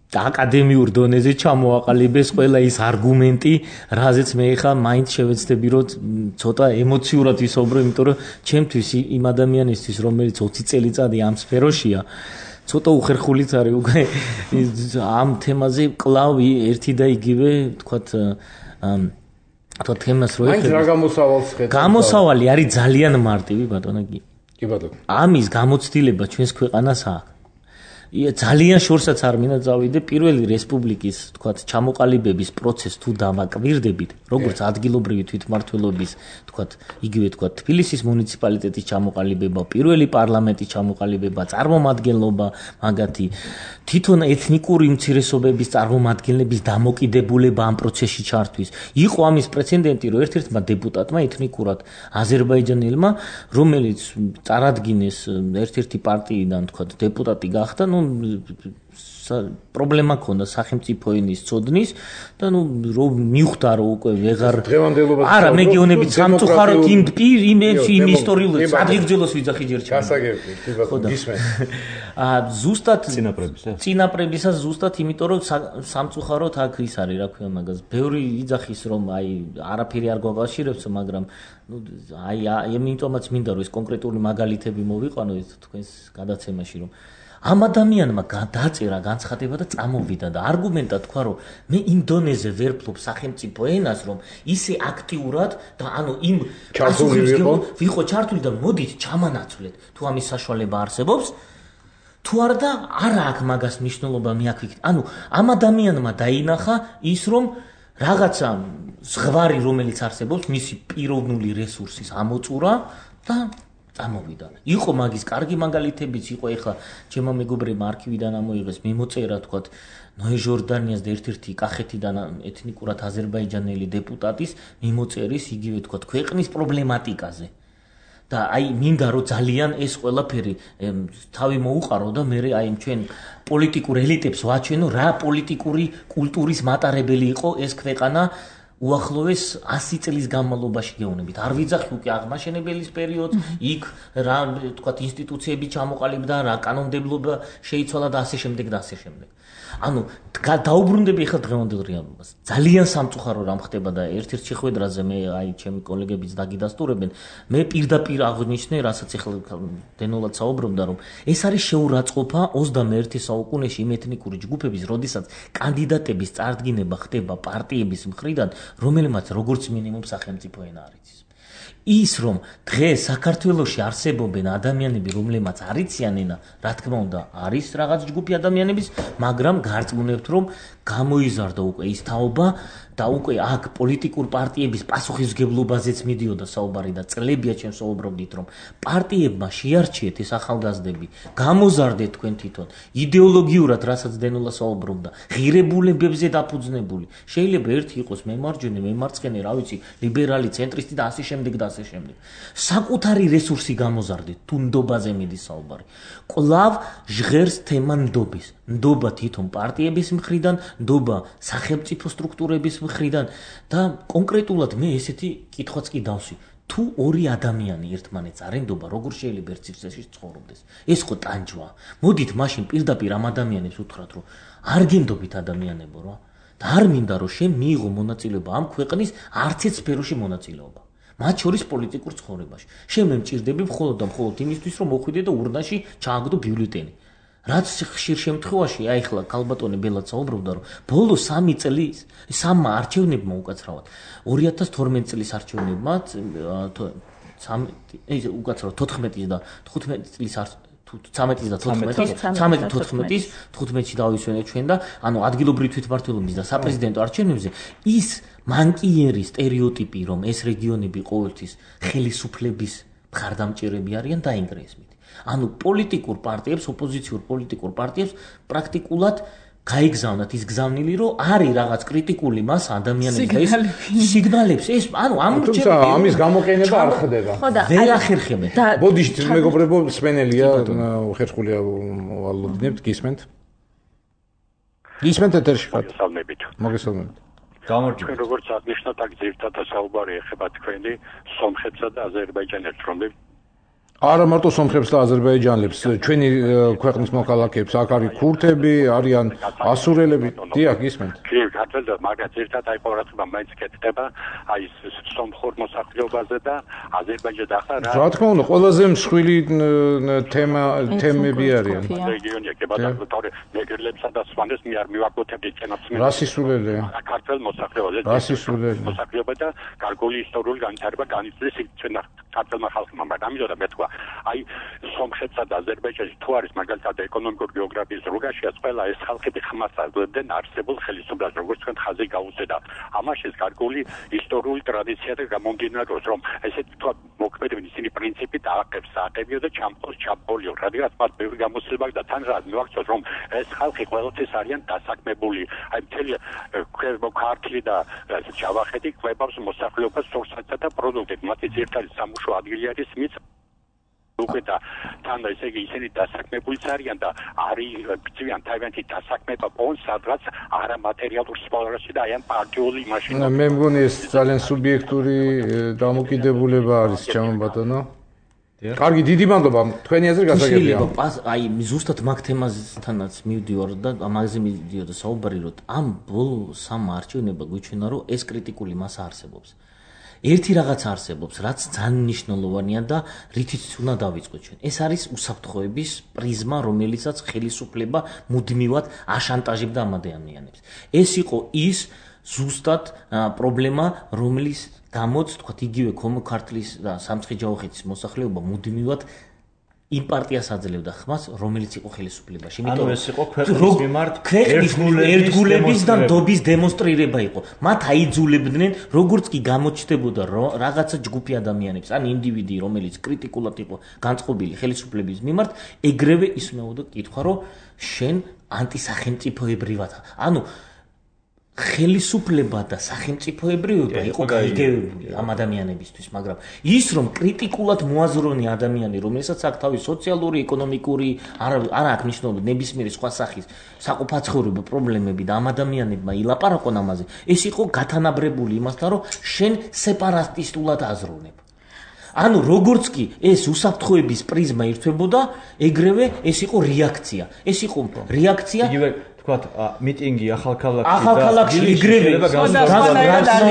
აკადემიურ დონეზე ჩამოაყალიბეს ყველა ის არგუმენტი, რაზეც მე ხა მაინც შევეცდები რომ ცოტა ემოციურად ვისაუბრო, იმიტომ რომ ჩემთვის იმ ადამიანისთვის, რომელიც 20 წელიწადი ამ სფეროშია, ცოტა უხერხულიც არის უკვე ამ თემაზე კლავ ერთი და იგივე, თქვათ თო თემას რო ეხება. რა გამოსავალს ხედავთ? გამოსავალი არის ძალიან მარტივი ბატონო კი. კი ბატონო. ამის გამოცდილება ჩვენს ქვეყანას აქვს. ძალიან შორსაც არ მინდა წავიდე პირველი რესპუბლიკის, თქვათ, ჩამოყალიბების პროცესს თუ დავაკვირდებით, როგორც ადგილობრივი თვითმმართველობის, თქვათ, იგივე თქვათ, თბილისის მუნიციპალიტეტის ჩამოყალიბება, პირველი პარლამენტის ჩამოყალიბება, წარმომადგენლობა, მაგათი თვითონ ეთნიკური უმცირესობების წარმომადგენლების დამოკიდებულება ამ პროცესში ჩართვის. იყო ამის პრეცედენტი, რომ ერთ-ერთმა დეპუტატმა ეთნიკურად აზერბაიჯანელმა, რომელიც წარადგინეს ერთ-ერთი პარტიიდან, თქვათ, დეპუტატი გახდა, პრობლემა ქონდა სახელმწიფო ენის ცოდნის და რომ მივხვდა რომ უკვე ვეღარ არა მეგიონებით სამწუხაროდ იმ ისტორიულ ადგილძველოს ვიძახი ჯერ ჩემს გასაგებია გისმენთ ზუსტად წინაპრებისას ზუსტად იმიტომ რომ სამწუხაროდ აქ ის არის რა ქვია მაგას ბევრი იძახის რომ აი არაფერი არ გვაკავშირებს მაგრამ აი იმიტომაც მინდა რომ ეს კონკრეტული მაგალითები მოვიყვანო თქვენს გადაცემაში რომ ამ ადამიანმა დაწერა განცხადება და წამოვიდა და არგუმენტად თქვა რომ მე ინდონეზე ვერ ფლობ სახელმწიფო ენას რომ ისე აქტიურად და ანუ იმ ვიყო ჩართული და მოდით ჩამანაცვლეთ თუ ამის საშუალება არსებობს თუ არა და არა აქვს მაგას მნიშვნელობა მე აქ ვიქით ანუ ამ ადამიანმა დაინახა ის რომ რაღაცა ზღვარი რომელიც არსებობს მისი პიროვნული რესურსის ამოწურა და წამოვიდა. იყო მაგის კარგი მაგალითებიც, იყო ეხლა ჩემო მეგობრებმა არქივიდან ამოიღეს მიმოწერა თქვათ ნოე ჟორდანიას და ერთ-ერთი კახეთიდან ეთნიკურად აზერბაიჯანელი დეპუტატის მიმოწერის იგივე თქვათ ქვეყნის პრობლემატიკაზე. და აი მინდა რომ ძალიან ეს ყველაფერი თავი მოუყარო და მე აი ჩვენ პოლიტიკურ ელიტებს ვაჩვენო რა პოლიტიკური კულტურის მატარებელი იყო ეს ქვეყანა უახლოეს 100 წლის განმავლობაში გეუბნებით. არ ვიძახი უკვე აღმაშენებელის პერიოდს, იქ რა თქვათ ინსტიტუციები ჩამოყალიბდა, რა კანონმდებლობა შეიცვალა და ასე შემდეგ და ასე შემდეგ. ანუ დაუბრუნდები ახლა დღევანდელ რეალობას. ძალიან სამწუხარო რამ ხდება და ერთ-ერთ შეხვედრაზე მე აი ჩემი კოლეგებიც დაგიდასტურებენ. მე პირდაპირ აღნიშნე, რასაც ახლა დენოლად საუბრობდა, რომ ეს არის შეურაცხყოფა 21 საუკუნეში იმ ეთნიკური ჯგუფების, როდესაც კანდიდატების წარდგინება ხდება პარტიების მხრიდან, რომელმაც როგორც მინიმუმ სახელმწიფო ენა არ იცის. ის რომ დღეს საქართველოში არსებობენ ადამიანები, რომლებმაც არ იციან ენა, რა თქმა უნდა, არის რაღაც ჯგუფი ადამიანების, მაგრამ გარწმუნებთ, რომ გამოიზარდა უკვე ის თაობა და უკვე აქ პოლიტიკურ პარტიების პასუხისმგებლობაზეც მიდიოდა საუბარი და წლებია ჩვენ საუბრობდით, რომ პარტიებმა შეარჩიეთ ეს ახალგაზრდები, გამოზარდეთ თქვენ თვითონ, იდეოლოგიურად, რასაც დენოლა საუბრობდა, ღირებულებებზე დაფუძნებული. შეიძლება ერთი იყოს მემარჯვენე, მემარცხენე, რა ვიცი, ლიბერალი, ცენტრისტი და ასე შემდეგ და ასე შემდეგ. საკუთარი რესურსი გამოზარდეთ, თუ ნდობაზე მიდის საუბარი. კვლავ ჟღერს თემა ნდობის. ნდობა თვითონ პარტიების მხრიდან, ნდობა სახელმწიფო სტრუქტურების მხრიდან და კონკრეტულად მე ესეთი კითხვაც კი დავსვი. თუ ორი ადამიანი ერთმანეთს არ ენდობა, როგორ შეიძლება ერთ სივრცეში ცხოვრობდეს? ეს ხო ტანჯვა. მოდით მაშინ პირდაპირ ამ ადამიანებს უთხრათ, რომ არ გენდობით ადამიანებო რა. და არ მინდა რომ შენ მიიღო მონაწილეობა ამ ქვეყნის არც ერთ სფეროში მონაწილეობა. მათ შორის პოლიტიკურ ცხოვრებაში. შენ მე მჭირდები მხოლოდ და მხოლოდ იმისთვის, რომ მოხვიდე და ურნაში ჩააგდო ბიულეტენი. რაც ხშირ შემთხვევაში აი ახლა ქალბატონი ბელად საუბრობდა რომ ბოლო 3 წლის სამმა არჩევნებმა უკაცრავად 2012 წლის არჩევნებმა 14 და 15 წლის 13 და 14-ში დავისვენეთ ჩვენ და ანუ ადგილობრივი თვითმმართველობის და საპრეზიდენტო არჩევნებზე ის მანკიერი სტერეოტიპი რომ ეს რეგიონები ყოველთვის ხელისუფლების მხარდამჭერები არიან დაინგრეს მით ანუ პოლიტიკურ პარტიებს, ოპოზიციურ პოლიტიკურ პარტიებს პრაქტიკულად გაიგზავნათ ის გზავნილი, რომ არის რაღაც კრიტიკული მასა ადამიანების და ეს სიგნალებს ეს ანუ თუმცა ამის გამოყენება არ ხდება. ვერ ახერხებენ. ბოდიშით მეგობრებო, სპენელია ხერხულია ვალობნებთ, გისმენთ? გისმენთ ეთერში ხართ? მოგესალმებით. გამარჯობა. როგორც აღნიშნეთ, აქ ძირითადად საუბარი ეხება თქვენი სომხეთსა და აზერბაიჯანელს, რომლებიც არა მარტო სომხებს და აზერბაიჯანელებს, ჩვენი ქვეყნის მოქალაქეებს, აქ არის ქურთები, არიან ასურელები, დიახ, გისმენთ. კი, ქართველი, მაგრამ ერთად აი ყურადღება მაინც კეთდება, აი სომხურ მოსახლეობაზე და აზერბაიჯანზე ახლა რა თქმა უნდა, ყველაზე მსხვილი თემები არიან. რეგიონი ეკებოდა თორე მეგრელებსა და სვანეს მე არ მივაკუთვნებდი წინასწარ. რა სისულელია? ქართველ მოსახლეობაზე. რა სისულელია? მოსახლეობა და გარკვეული ისტორიული განვითარება განიცდის იქცენა ქართველმა ხალხმა, მაგრამ ამიტომ მე თქვა აი სომხეთსა და აზერბაიჯანში თუ არის მაგალითად ეკონომიკურ გეოგრაფიის რუგაშია ყველა ეს ხალხები ხმას აძლევდნენ არსებულ ხელისუფლებას როგორც თქვენ ხაზი გაუწედა ამაშიც გარკვეული ისტორიული ტრადიცია და გამომდინარეობს რომ ესეთ თქვა მოქმედებენ ისინი პრინციპით აყებს საყებიო და ჩამყოს ჩამყოლიო რადგან მას ბევრი გამოცდილება და თან რა მივაქცევთ რომ ეს ხალხი ყოველთვის არიან დასაქმებული აი მთელი ქართლი და ჯავახეთი კვებავს მოსახლეობას სურსათსა და პროდუქტებს მათი ძირითადი სამუშო ადგილი არის მის უკვე და თან ესე იგი ისინი დასაქმებულიც არიან და არის გწვიან თავიანთი დასაქმება პონს სადღაც არამატერიალურ სფეროში და აი ამ პარტიული მაშინ მე მგონი ეს ძალიან სუბიექტური დამოკიდებულება არის ჩემო ბატონო. კარგი, დიდი მადლობა. თქვენი აზრი გასაგებია. აი ზუსტად მაგ თემაზთანაც მივდივარ და ამაზე მივდიოდა საუბარი, რომ ამ ბოლო სამ არჩევნება გვიჩვენა, რომ ეს კრიტიკული მასა არსებობს. ერთი რაღაც არსებობს, რაც ძალიან მნიშვნელოვანია და რითიც უნდა დავიწყოთ ჩვენ. ეს არის უსაფრთხოების პრიზმა, რომელიცაც ხელისუფლება მუდმივად აშანტაჟებდა ამ ადამიანებს. ეს იყო ის ზუსტად პრობლემა, რომელიც გამოც, თქვათ, იგივე ქართლის და სამცხე-ჯავახეთის მოსახლეობა მუდმივად იმ პარტიას აძლევდა ხმას, რომელიც იყო ხელისუფლებაში. ანუ ეს იყო ქვეყნის მიმართ ერთგულების და ნდობის დემონსტრირება იყო. მათ აიძულებდნენ, როგორც კი გამოჩნდებოდა რაღაცა ჯგუფი ადამიანებს, ან ინდივიდი, რომელიც კრიტიკულად იყო განწყობილი ხელისუფლების მიმართ, ეგრევე ისმეოდა კითხვა, რომ შენ ანტისახელმწიფოებრივად. ანუ ხელისუფლება და სახელმწიფოებრიობა იყო გაიგებული ამ ადამიანებისთვის, მაგრამ ის რომ კრიტიკულად მოაზროვნე ადამიანი, რომელსაც აქვს თავის სოციალური, ეკონომიკური, არა აქვს მნიშვნელობა ნებისმიერი სხვა სახის საყოფაცხოვრებო პრობლემები და ამ ადამიანებმა ილაპარაკონ ამაზე, ეს იყო გათანაბრებული იმასთან, რომ შენ სეპარატისტულად აზროვნებ. ანუ როგორც კი ეს უსაფრთხოების პრიზმა ირთვებოდა, ეგრევე ეს იყო რეაქცია. ეს იყო რეაქცია თქვათ მიტინგი ახალქალაქში იგრევე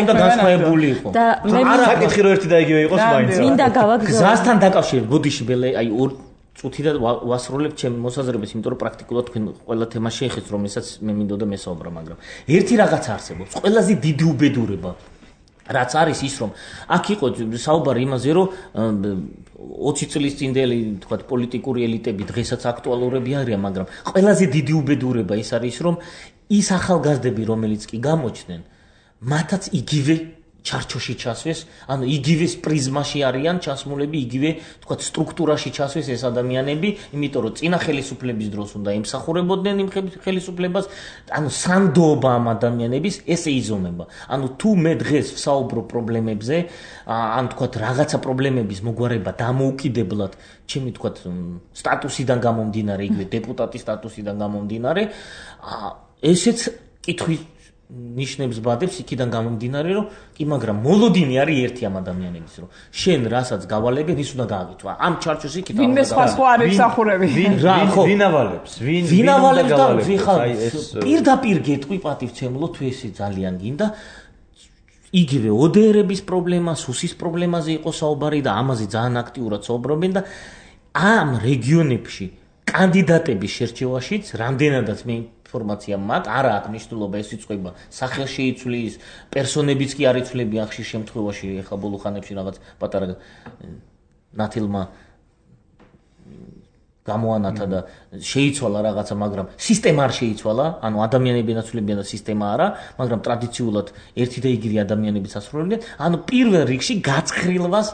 განსხვავებული იყო. და მე საკითხი რომ ერთი და იგივე იყოს მაინც. მინდა გავაგზავნო. გზასთან დაკავშირებით, ბოდიში ბელე, აი წუთი და ვასრულებ ჩემს მოსაზრებას, იმიტომ რომ პრაქტიკულად თქვენ ყველა თემა შეეხეთ, რომელსაც მე მინდოდა მესაუბრა, მაგრამ ერთი რაღაც არსებობს, ყველაზე დიდი უბედურება. რაც არის ის რომ აქ იყო საუბარი იმაზე რომ 20 წლის წინდელი თქვათ პოლიტიკური ელიტები დღესაც აქტუალურები არიან, მაგრამ ყველაზე დიდი უბედურება ის არის რომ ის ახალგაზრდები რომელიც კი გამოჩნდნენ მათაც იგივე ჩარჩოში ჩასვეს, ანუ იგივე პრიზმაში არიან ჩასმულები, იგივე თქვათ სტრუქტურაში ჩასვეს ეს ადამიანები, იმიტომ რომ წინა ხელისუფლების დროს უნდა ემსახურებოდნენ იმ ხელისუფლებას, ანუ სანდოობა ამ ადამიანების ესე იზომება. ანუ თუ მე დღეს ვსაუბრო პრობლემებზე, ან თქვათ რაღაცა პრობლემების მოგვარება დამოუკიდებლად, ჩემი თქვათ სტატუსიდან გამომდინარე, იგივე დეპუტატის სტატუსიდან გამომდინარე, ესეც კითხვის ნიშნებს ბადებს იქიდან გამომდინარე, რომ კი, მაგრამ მოლოდინი არის ერთი ამ ადამიანების, რომ შენ რასაც გავალებენ, ის უნდა გააკეთო. ამ ჩარჩოს იქით ვინმე სხვა არ ემსახურები. ვინ ავალებს? ვინ ავალებს და ვიხარ პირდაპირ გეტყვი პატივცემულო, თუ ესე ძალიან გინდა. იგივე ODR-ების პრობლემა, სუსის პრობლემაზე იყო საუბარი და ამაზე ძალიან აქტიურად საუბრობენ და ამ რეგიონებში კანდიდატების შერჩევაშიც რამდენადაც მე ინფორმაცია მაქვს, არა აქვს მნიშვნელობა ეს იწყვება სახელში იცვლის, პერსონებიც კი არ იცვლები ახშირ შემთხვევაში, ეხლა ბოლო ხანებში რაღაც პატარა ნათილმა გამოანათა და შეიცვალა რაღაცა, მაგრამ სისტემა არ შეიცვალა, ანუ ადამიანები ენაცვლებიან და სისტემა არა, მაგრამ ტრადიციულად ერთი და იგივე ადამიანებიც ასრულებდნენ, ანუ პირველ რიგში გაცხრილვას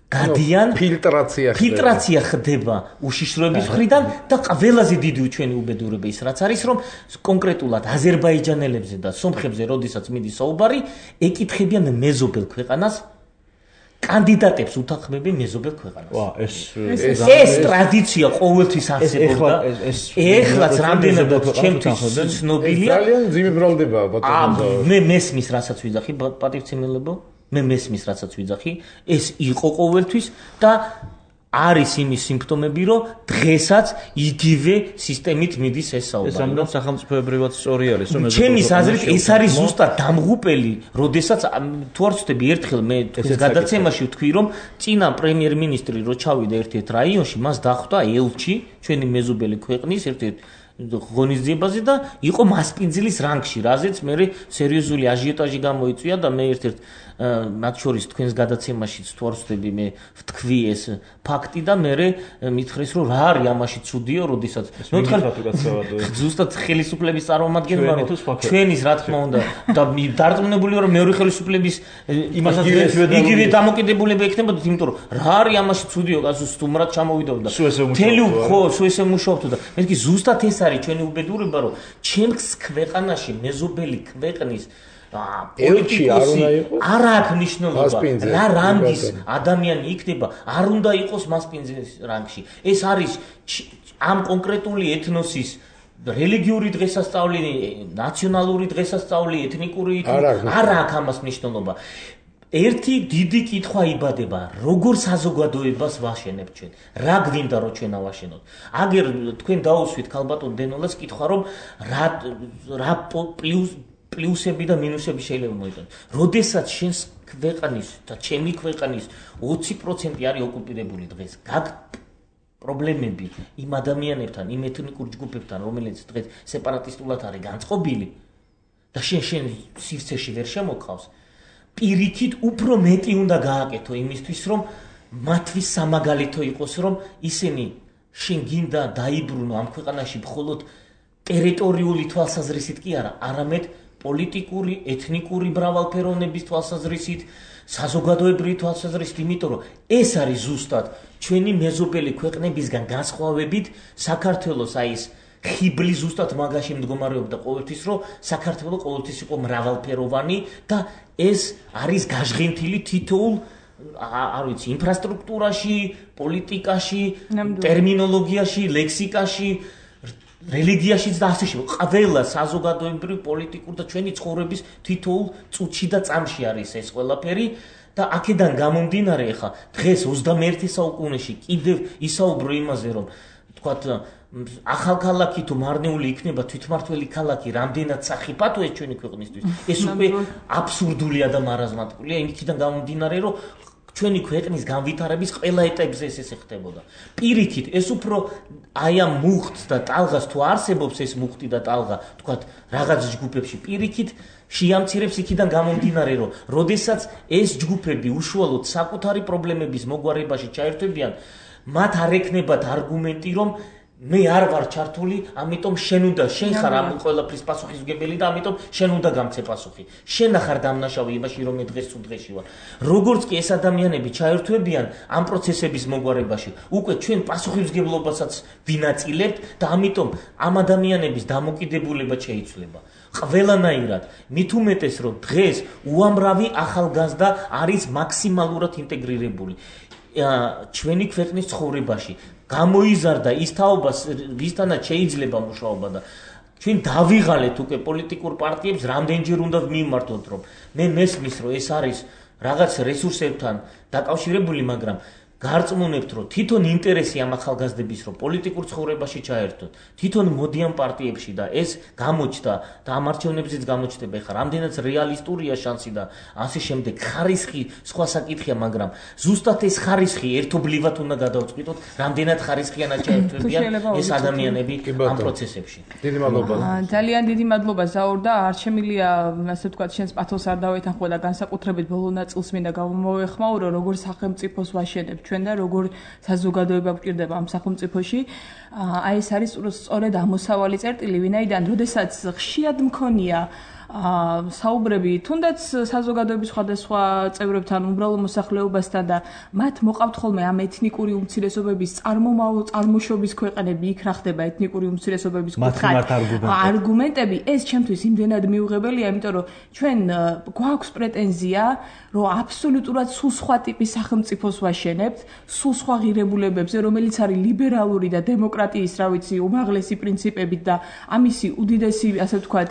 გადიან ფილტრაცია ხდება უშიშროების მხრიდან და ყველაზე დიდი ჩვენი უბედურება ის რაც არის რომ კონკრეტულად აზერბაიჯანელებზე და სომხებზე როდესაც მიდის საუბარი ეკითხებიან მეზობელ ქვეყანას კანდიდატებს უთანხმებენ მეზობელ ქვეყანას. ეს ტრადიცია ყოველთვის არსებობდა. ეხლაც რამდენადაც ჩემთვის ცნობილია. ძალიან ძიმე ბრალდება ბატონო. მე მესმის რასაც ვიძახი პატივცემელებო. მე მესმის რასაც ვიძახი, ეს იყო ყოველთვის და არის იმის სიმპტომები, რომ დღესაც იგივე სისტემით მიდის ეს საუბარი. ეს რამდენად სახელმწიფოებრივად სწორი არის, რომ ჩემის აზრით ეს არის ზუსტად დამღუპელი, როდესაც თუ არ ვცდები ერთხელ მე გადაცემაში ვთქვი, რომ წინა პრემიერ-მინისტრი რო ჩავიდა ერთ-ერთ რაიონში, მას დახვდა ელჩი, ჩვენი მეზობელი ქვეყნის ერთ-ერთ ღონისძიებაზე და იყო მასპინძლის რანგში, რაზეც მე სერიოზული აჟიოტაჟი გამოიწვია და მე ერთ-ერთ მათ შორის თქვენს გადაცემაშიც თუ არ ვცდები მე ვთქვი ეს ფაქტი და მე მითხრეს რომ რა არის ამაში ცუდიო, როდესაც ზუსტად ხელისუფლების წარმომადგენელმა რომ ჩვენის რა თქმა უნდა და დარწმუნებული ვარ მეორე ხელისუფლების იგივე დამოკიდებულება ექნებოდათ, იმიტომ რომ რა არის ამაში ცუდიო, გასულ სტუმრად ჩამოვიდოდა. თელი ხო, სულ ესე მუშაობთ და მეთქი ზუსტად ეს არის ჩვენი უბედურება, რომ ჩემს ქვეყანაში მეზობელი ქვეყნის პოლიტიკოსი არ აქვს მნიშვნელობა. რა რანგის ადამიანი იქნება, არ უნდა იყოს მასპინძლის რანგში. ეს არის ამ კონკრეტული ეთნოსის რელიგიური დღესასწაული, ნაციონალური დღესასწაული, ეთნიკური არ აქვს ამას მნიშვნელობა. ერთი დიდი კითხვა იბადება, როგორ საზოგადოებას ვაშენებთ ჩვენ? რა გვინდა რომ ჩვენ ავაშენოთ? აგერ თქვენ დაუსვით ქალბატონ დენოლას კითხვა, რომ რა პლუსები და მინუსები შეიძლება მოიგონოთ. როდესაც შენს ქვეყნის და ჩემი ქვეყნის 20% არის ოკუპირებული დღეს, პრობლემები იმ ადამიანებთან, იმ ეთნიკურ ჯგუფებთან, რომელიც დღეს სეპარატისტულად არის განწყობილი და შენ სივრცეში ვერ შემოყავს, პირიქით უფრო მეტი უნდა გააკეთო იმისთვის, რომ მათთვის სამაგალითო იყოს, რომ ისინი შენ გინდა დაიბრუნო ამ ქვეყანაში მხოლოდ ტერიტორიული თვალსაზრისით კი არა, არამედ პოლიტიკური, ეთნიკური მრავალფეროვნების თვალსაზრისით, საზოგადოებრივი თვალსაზრისით, იმიტომ რომ ეს არის ზუსტად ჩვენი მეზობელი ქვეყნებისგან განსხვავებით საქართველოს ეს ხიბლი ზუსტად მაგაში მდგომარეობდა ყოველთვის, რომ საქართველო ყოველთვის იყო მრავალფეროვანი და ეს არის გაჟღენთილი თითოეულ არ ვიცი, ინფრასტრუქტურაში, პოლიტიკაში, ტერმინოლოგიაში, ლექსიკაში, რელიგიაშიც და ასე შემდეგ. ყველა საზოგადოებრივი, პოლიტიკურ და ჩვენი ცხოვრების თითოეულ წუთში და წამში არის ეს ყველაფერი და აქედან გამომდინარე ხა დღეს 21 საუკუნეში კიდევ ისაუბრო იმაზე, რომ თქვათ ახალქალაქი თუ მარნეული იქნება თვითმართველი ქალაქი, რამდენად სახიფათო ეს ჩვენი ქვეყნისთვის. ეს უკვე აბსურდულია და მარაზმატულია, იმითიდან გამომდინარე, რომ ჩვენი ქვეყნის განვითარების ყველა ეტაპზე ეს ხდებოდა. პირიქით, ეს უფრო აი ამ მუხტს და ტალღას თუ არსებობს ეს მუხტი და ტალღა, თქვათ რაღაც ჯგუფებში, პირიქით შეამცირებს იქიდან გამომდინარე, რომ როდესაც ეს ჯგუფები უშუალოდ საკუთარი პრობლემების მოგვარებაში ჩაერთვებიან, მათ არ ექნებათ არგუმენტი, რომ მე არ ვარ ჩართული, ამიტომ შენ უნდა შენ ხარ ამ ყველაფრის პასუხისმგებელი და ამიტომ შენ უნდა გამცე პასუხი. შენ ახარ დამნაშავე იმაში, რომ მე დღეს თუ დღეში ვარ. როგორც კი ეს ადამიანები ჩაერთვებიან ამ პროცესების მოგვარებაში, უკვე ჩვენ პასუხისმგებლობასაც ვინაწილებთ და ამიტომ ამ ადამიანების დამოკიდებულება შეიცვლება. ყველანაირად, მით უმეტეს, რომ დღეს უამრავი ახალგაზრდა არის მაქსიმალურად ინტეგრირებული ჩვენი ქვეყნის ცხოვრებაში. გამოიზარდა ის თაობა, ვისთანაც შეიძლება მუშაობა და ჩვენ დავიღალეთ უკვე პოლიტიკურ პარტიებს, რამდენჯერ უნდა მიმართოთ, რომ მე მესმის, რომ ეს არის რაღაც რესურსებთან დაკავშირებული, მაგრამ გარწმუნებთ, რომ თვითონ ინტერესი ამ ახალგაზრდების, რომ პოლიტიკურ ცხოვრებაში ჩაერთოთ, თვითონ მოდიან პარტიებში და ეს გამოჩნდა და ამ არჩევნებზეც გამოჩნდება. ეხლა რამდენად რეალისტურია შანსი და ასე შემდეგ, ხარისხი სხვა საკითხია, მაგრამ ზუსტად ეს ხარისხი ერთობლივად უნდა გადავწყვიტოთ, რამდენად ხარისხიანად ჩაერთვებიან ეს ადამიანები ამ პროცესებში. დიდი მადლობა. ძალიან დიდი მადლობა ზაურ და არ შემილია, ასე ვთქვათ, შენს პათოს არ დავეთანხმო და განსაკუთრებით ბოლო ნაწილს მინდა გამოვეხმაურო, როგორ სახელმწიფოს ვაშენებ ჩვენ და როგორ საზოგადოება გვჭირდება ამ სახელმწიფოში. აი ეს არის სწორედ ამოსავალი წერტილი, ვინაიდან როდესაც ხშირად მქონია საუბრები თუნდაც საზოგადოების სხვადასხვა წევრებთან, უბრალო მოსახლეობასთან და მათ მოყავთ ხოლმე ამ ეთნიკური უმცირესობების წარმოშობის ქვეყნები, იქ რა ხდება ეთნიკური უმცირესობების კუთხით არგუმენტები, ეს ჩემთვის იმდენად მიუღებელია, იმიტომ რომ ჩვენ გვაქვს პრეტენზია, რომ აბსოლუტურად სულ სხვა ტიპის სახელმწიფოს ვაშენებთ, სულ სხვა ღირებულებებზე, რომელიც არის ლიბერალური და დემოკრატიის, რა ვიცი, უმაღლესი პრინციპებით და ამისი უდიდესი, ასე ვთქვათ,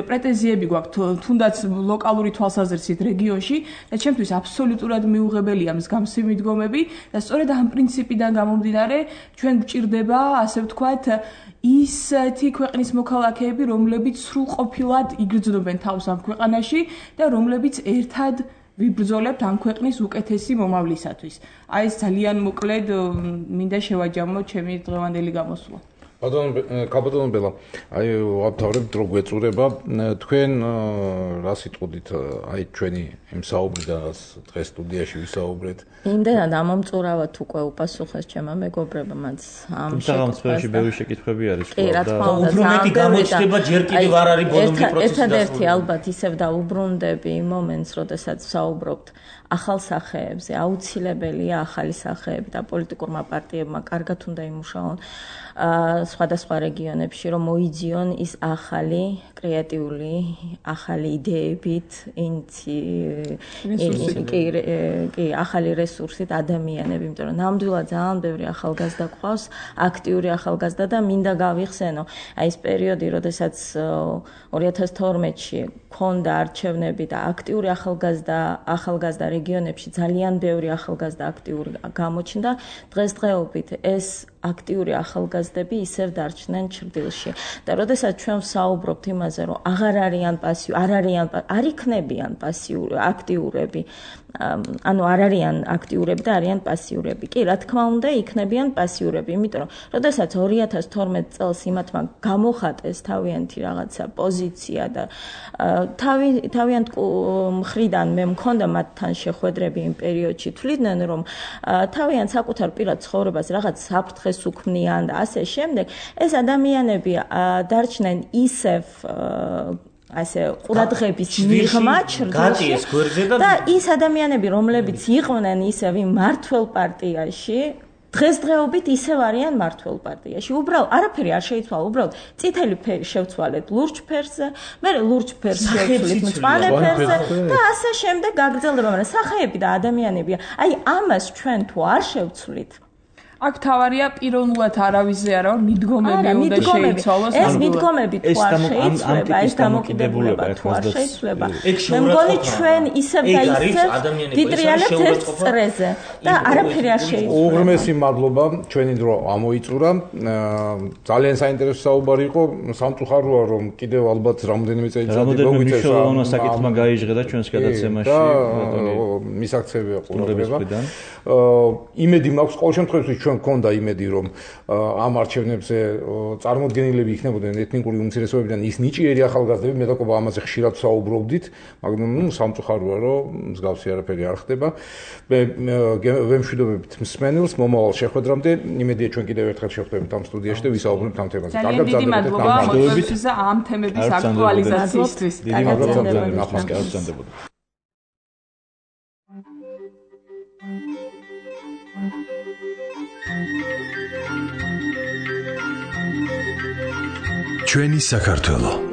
პრეტენზიები გვაქვს თუნდაც ლოკალური თვალსაზრისით რეგიონში და ჩემთვის აბსოლუტურად მიუღებელია მსგავსი მიდგომები და სწორედ ამ პრინციპიდან გამომდინარე ჩვენ გვჭირდება, ასე ვთქვათ, ისეთი ქვეყნის მოქალაქეები, რომლებიც სრულყოფილად იგრძნობენ თავს ამ ქვეყანაში და რომლებიც ერთად ვიბრძოლებთ ამ ქვეყნის უკეთესი მომავლისათვის. აი ეს ძალიან მოკლედ მინდა შევაჯამო ჩემი დღევანდელი გამოსვლა. კაბატონო ბელა, აი ვაფთავრებთ რო გვეწურება, თქვენ რა სიტყვით აი ჩვენი იმ საუბრიდან დღეს სტუდიაში ვისაუბრეთ. იმდენად ამომწურავად უკვე უპასუხეს ჩემმა მეგობრებმაც ამ შემთხვევაში ბევრი შეკითხვები არის და უფრო მეტი გამოჩნდება ჯერ კიდევ არ არის ბოლომდე პროცესი. ერთადერთი ალბათ ისევ დაუბრუნდები იმ მომენტს, როდესაც საუბრობთ ახალ სახეებზე, აუცილებელია ახალი სახეები და პოლიტიკურმა პარტიებმა კარგად უნდა იმუშაონ სხვადასხვა რეგიონებში რომ მოიძიონ ის ახალი კრეატიული ახალი იდეებით ახალი რესურსით ადამიანები, იმიტომ რომ ნამდვილად ძალიან ბევრი ახალგაზრდა გვყავს, აქტიური ახალგაზრდა და მინდა გავიხსენო, აი ეს პერიოდი, როდესაც 2012-ში ქონდა არჩევნები და აქტიური ახალგაზრდა რეგიონებში ძალიან ბევრი ახალგაზრდა აქტიური გამოჩნდა, დღესდღეობით ეს აქტიური ახალგაზრდები ისევ დარჩნენ ჩრდილში. და როდესაც ჩვენ ვსაუბრობთ იმაზე, რომ არ იქნებიან პასიური აქტიურები, ანუ არ არიან აქტიურები და არიან პასიურები. კი, რა თქმა უნდა, იქნებიან პასიურები, იმიტომ რომ როდესაც 2012 წელს იმათმა გამოხატეს თავიანთი რაღაცა პოზიცია და თავიანთ მხრიდან მე მქონდა მათთან შეხვედრები იმ პერიოდში, თვლიდნენ რომ თავიანთ საკუთარ პირად ცხოვრებას რაღაც საფრთხეს უქმნიან და ასე შემდეგ, ეს ადამიანები დარჩნენ ისევ ასე ყურადღების მიღმა ჩრდილში და ის ადამიანები, რომლებიც იყვნენ ისევ იმ მართველ პარტიაში, დღესდღეობით ისევ არიან მართველ პარტიაში. უბრალოდ არაფერი არ შეიცვალა, უბრალოდ წითელი ფერი შევცვალეთ ლურჯ ფერზე, მე ლურჯ ფერს შევცვლით მწვანე ფერზე და ასე შემდეგ გაგრძელდება, მაგრამ სახეები და ადამიანები, აი ამას ჩვენ თუ არ შევცვლით, აქ თავარია პიროვნულად არავისზე არა ვარ მიდგომები უნდა შეიცვალოს ეს მიდგომები თუ არ შეიცვლება ეს დამოკიდებულება თუ არ შეიცვლება მე მგონი ჩვენ ისევ და ისევ ვიტრიალებთ ერთ წრეზე და არაფერი არ შეიცვლება უღრმესი მადლობა ჩვენი დრო ამოიწურა ძალიან საინტერესო საუბარი იყო სამწუხაროა რომ კიდევ ალბათ რამოდენიმე წელიწადი მოგვიწევს რა საკითხმა გაიჟღერა ჩვენს გადაცემაში მისაქცევია ყურადღება იმედი მაქვს ყოველ შემთხვევაში ჩვენ გქონდა იმედი რომ ამ არჩევნებზე წარმოდგენილები იქნებოდნენ ეთნიკური უმცირესობებიდან ის ნიჭიერი ახალგაზრდები მე დაკობა ამაზე ხშირად საუბრობდით მაგრამ სამწუხაროა რომ მსგავსი არაფერი არ ხდება მე ვემშვიდობებით მსმენელს მომავალ შეხვედრამდე იმედია ჩვენ კიდევ ერთხელ შევხვდებით ამ სტუდიაში და ვისაუბრებთ ამ თემაზე კარგად გრძელდებოდეთ ამ თემების აქტუალიზაციისთვის დიდი მადლობა ჩვენი საქართველო